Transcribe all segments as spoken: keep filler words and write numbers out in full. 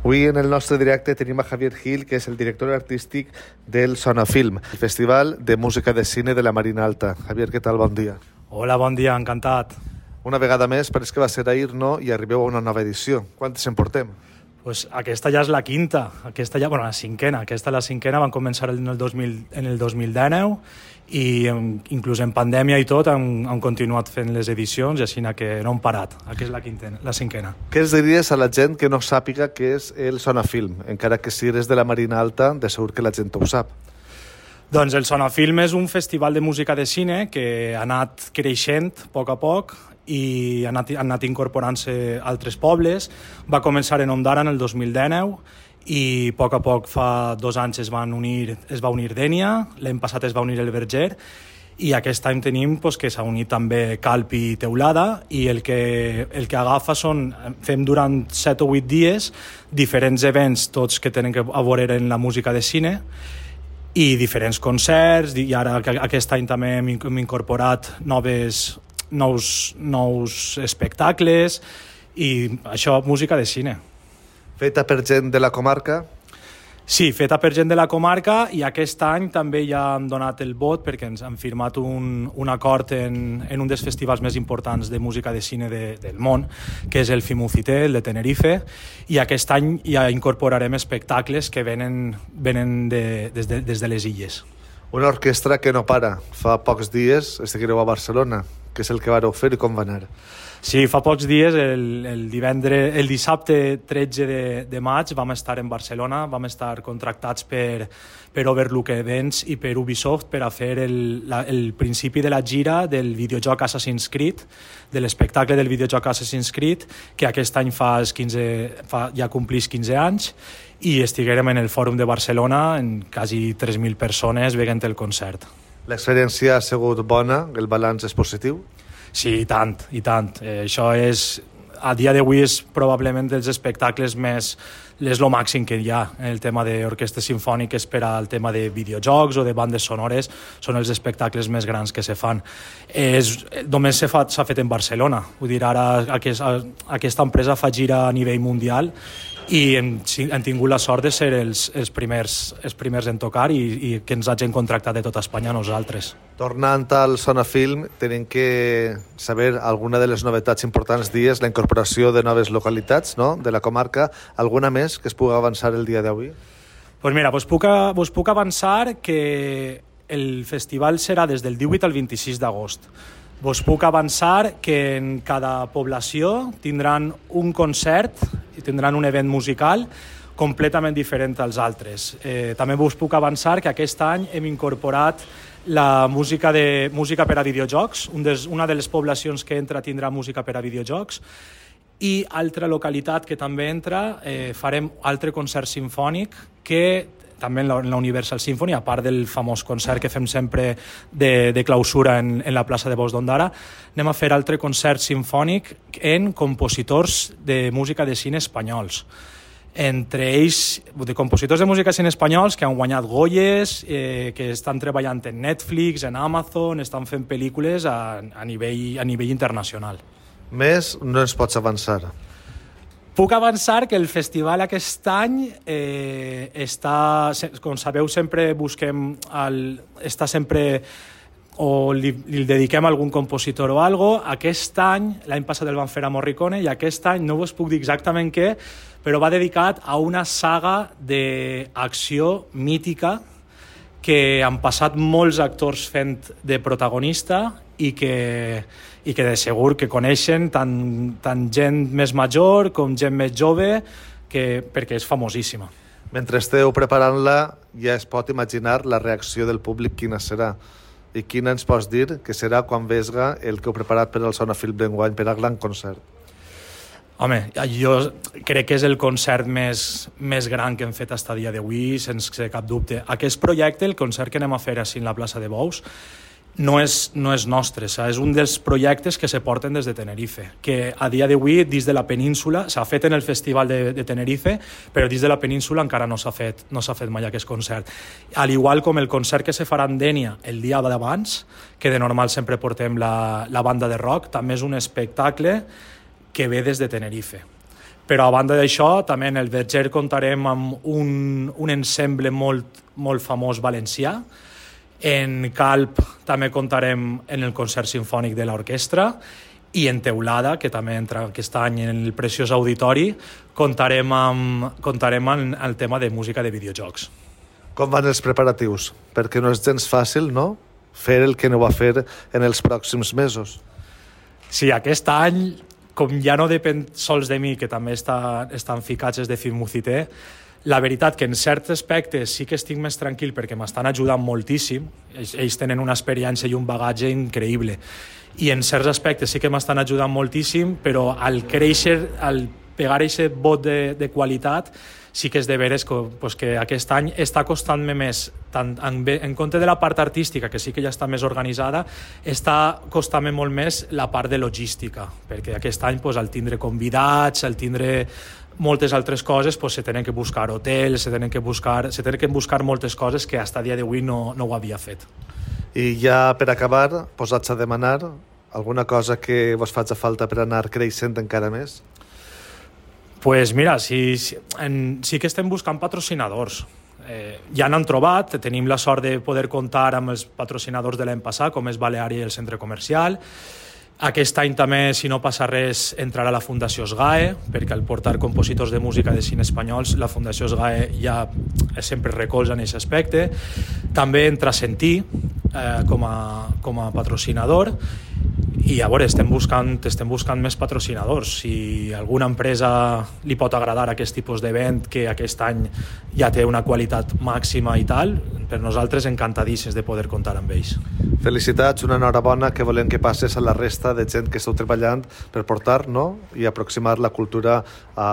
Avui en el nostre directe tenim a Javier Gil, que és el director artístic del Sonafilm, el Festival de Música de Cine de la Marina Alta. Javier, què tal? Bon dia. Hola, bon dia, encantat. Una vegada més, pareix que va ser ahir, no? I arribeu a una nova edició. Quantes en portem? Pues aquesta ja és la quinta, aquesta ja, bueno, la cinquena, aquesta la cinquena, van començar en el dos mil, en el dos mil dinou i inclús en pandèmia i tot han, han continuat fent les edicions i així que no han parat. Aquesta és la, quintena, la cinquena. Què els diries a la gent que no sàpiga què és el Sonafilm? Encara que si eres de la Marina Alta, de segur que la gent ho sap. Doncs el Sonafilm és un festival de música de cine que ha anat creixent a poc a poc i han anat, han anat incorporant-se altres pobles. Va començar en Ondara en el dos mil dinou i a poc a poc, fa dos anys, es, van unir, es va unir Dénia, l'any passat es va unir el Verger i aquest any tenim pues, que s'ha unit també Calpi i Teulada i el que, el que agafa són, fem durant set o vuit dies diferents events, tots que tenen a veure en la música de cine i diferents concerts, i ara aquest any també hem incorporat noves, nous, nous espectacles i això, música de cine. Feta per gent de la comarca? Sí, feta per gent de la comarca i aquest any també ja han donat el vot perquè ens han firmat un, un acord en, en un dels festivals més importants de música de cine de, del món, que és el Fimucité, el de Tenerife, i aquest any ja incorporarem espectacles que venen, venen de, des, de, des de les illes. Una orquestra que no para. Fa pocs dies estigueu a Barcelona. Què és el que vareu fer i com va anar? Sí, fa pocs dies, el, el, divendres, el dissabte tretze de, de maig, vam estar en Barcelona, vam estar contractats per, per Overlook Events i per Ubisoft per a fer el, la, el principi de la gira del videojoc Assassin's Creed, de l'espectacle del videojoc Assassin's Creed, que aquest any fa, quinze, fa ja complís quinze anys, i estiguérem en el Fòrum de Barcelona en quasi tres mil persones veient el concert. L'experiència ha sigut bona? El balanç és positiu? Sí, i tant, i tant. Eh, això és, a dia d'avui és probablement dels espectacles més, és lo màxim que hi ha en el tema d'orquestres simfòniques per al tema de videojocs o de bandes sonores, són els espectacles més grans que se fan. És, només s'ha fet en Barcelona, vull dir, ara aquest, aquesta empresa fa gira a nivell mundial i hem, hem tingut la sort de ser els, els, primers, els primers en tocar i, i que ens hagin contractat de tota Espanya a nosaltres. Tornant al Sonafilm, tenim que saber alguna de les novetats importants dies, la incorporació de noves localitats, no?, de la comarca. Alguna més que es pugui avançar el dia d'avui? Pues mira, vos puc, vos puc avançar que el festival serà des del divuit al vint-i-sis d'agost. Vos puc avançar que en cada població tindran un concert i tindran un event musical completament diferent als altres. Eh, també vos puc avançar que aquest any hem incorporat la música, de, música per a videojocs. Un des, una de les poblacions que entra tindrà música per a videojocs. I altra localitat que també entra, eh, farem altre concert sinfònic que també en la, en la Universal Symphony, a part del famós concert que fem sempre de, de clausura en, en la plaça de Bous d'Ondara, anem a fer altre concert sinfònic en compositors de música de cine espanyols. Entre ells, de compositors de música de cine espanyols que han guanyat Goyes, eh, que estan treballant en Netflix, en Amazon, estan fent pel·lícules a, a, nivell, a nivell internacional. Més no ens pots avançar. Puc avançar que el festival aquest any eh, està, com sabeu, sempre busquem, el, està sempre, o li, li dediquem a algun compositor o algo. Aquest any, l'any passat el van fer a Morricone, i aquest any no us puc dir exactament què, però va dedicat a una saga d'acció mítica que han passat molts actors fent de protagonista i que, i que de segur que coneixen tant, tant gent més major com gent més jove, que, perquè és famosíssima. Mentre esteu preparant-la, ja es pot imaginar la reacció del públic quina serà. I quina ens pots dir que serà quan vesga el que heu preparat per al Sonafilm d'enguany, per al gran concert? Home, jo crec que és el concert més, més gran que hem fet fins a dia d'avui, sense cap dubte. Aquest projecte, el concert que anem a fer així en la plaça de Bous, no és, no és nostre, és un dels projectes que se porten des de Tenerife, que a dia d'avui, dins de la península, s'ha fet en el Festival de, de Tenerife, però dins de la península encara no s'ha fet, no s'ha fet mai aquest concert. Al igual com el concert que se farà en Dénia el dia d'abans, que de normal sempre portem la, la banda de rock, també és un espectacle que ve des de Tenerife. Però a banda d'això, també en el Verger comptarem amb un, un ensemble molt, molt famós valencià. En Calp també comptarem en el concert simfònic de l'orquestra, i en Teulada, que també entra aquest any en el preciós auditori, comptarem amb, comptarem amb el tema de música de videojocs. Com van els preparatius? Perquè no és gens fàcil, no?, fer el que no va fer en els pròxims mesos. Sí, aquest any, com ja no depèn sols de mi, que també està, estan ficats de Filmucité, la veritat que en certs aspectes sí que estic més tranquil perquè m'estan ajudant moltíssim. Ells, ells tenen una experiència i un bagatge increïble. I en certs aspectes sí que m'estan ajudant moltíssim, però al créixer, al pegar aquest vot de, de qualitat, sí que és de veres que, pues, que aquest any està costant-me més, tant en, en compte de la part artística, que sí que ja està més organitzada, està costant-me molt més la part de logística, perquè aquest any pues, al tindre convidats, al tindre moltes altres coses, pues, se tenen que buscar hotels, se tenen que buscar, se tenen que buscar moltes coses que fins a dia d'avui no, no ho havia fet. I ja per acabar, posats a demanar alguna cosa que vos faci falta per anar creixent encara més? Pues mira, sí, sí, en, sí que estem buscant patrocinadors. Eh, ja n'han trobat, tenim la sort de poder comptar amb els patrocinadors de l'any passat, com és Baleària i el Centre Comercial. Aquest any també, si no passa res, entrarà la Fundació SGAE, perquè al portar compositors de música de cine espanyols, la Fundació SGAE ja sempre recolza en aquest aspecte. També entra Sentí eh, com, a, com a patrocinador, i a veure, estem buscant, estem buscant més patrocinadors. Si alguna empresa li pot agradar aquest tipus d'event, que aquest any ja té una qualitat màxima i tal, per nosaltres encantadíssims de poder comptar amb ells. Felicitats, una enhorabona, que volem que passes a la resta de gent que esteu treballant per portar, no?, i aproximar la cultura a,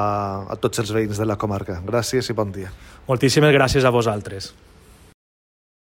a tots els veïns de la comarca. Gràcies i bon dia. Moltíssimes gràcies a vosaltres.